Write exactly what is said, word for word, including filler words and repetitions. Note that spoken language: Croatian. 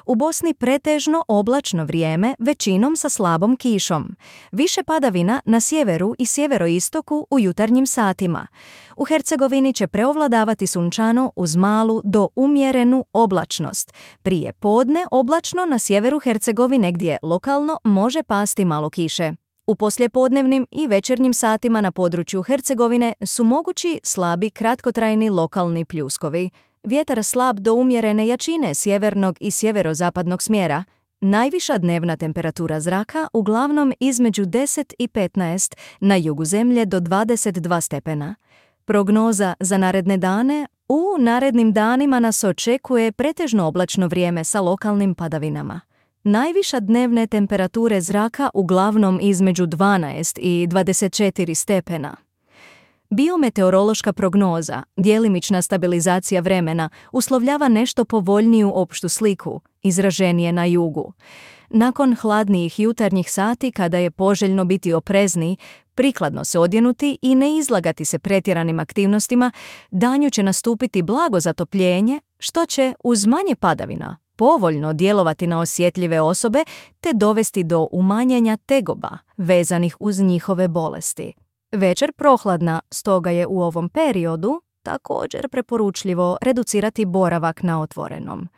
U Bosni pretežno oblačno vrijeme, većinom sa slabom kišom. Više padavina na sjeveru i sjeveroistoku u jutarnjim satima. U Hercegovini će preovladavati sunčano uz malu do umjerenu oblačnost. Prije podne oblačno na sjeveru Hercegovine gdje lokalno može pasti malo kiše. U poslijepodnevnim i večernjim satima na području Hercegovine su mogući slabi kratkotrajni lokalni pljuskovi. Vjetar slab do umjerene jačine sjevernog i sjeverozapadnog smjera. Najviša dnevna temperatura zraka uglavnom između deset i petnaest, na jugu zemlje do dvadeset dva stepena. Prognoza za naredne dane: u narednim danima nas očekuje pretežno oblačno vrijeme sa lokalnim padavinama. Najviša dnevne temperature zraka uglavnom između dvanaest i dvadeset četiri stepena. Biometeorološka prognoza, djelimična stabilizacija vremena, uslovljava nešto povoljniju opštu sliku, izraženije na jugu. Nakon hladnijih jutarnjih sati, kada je poželjno biti oprezniji, prikladno se odjenuti i ne izlagati se pretjeranim aktivnostima, danju će nastupiti blago zatopljenje, što će, uz manje padavina, povoljno djelovati na osjetljive osobe te dovesti do umanjenja tegoba vezanih uz njihove bolesti. Večer prohladna, stoga je u ovom periodu također preporučljivo reducirati boravak na otvorenom.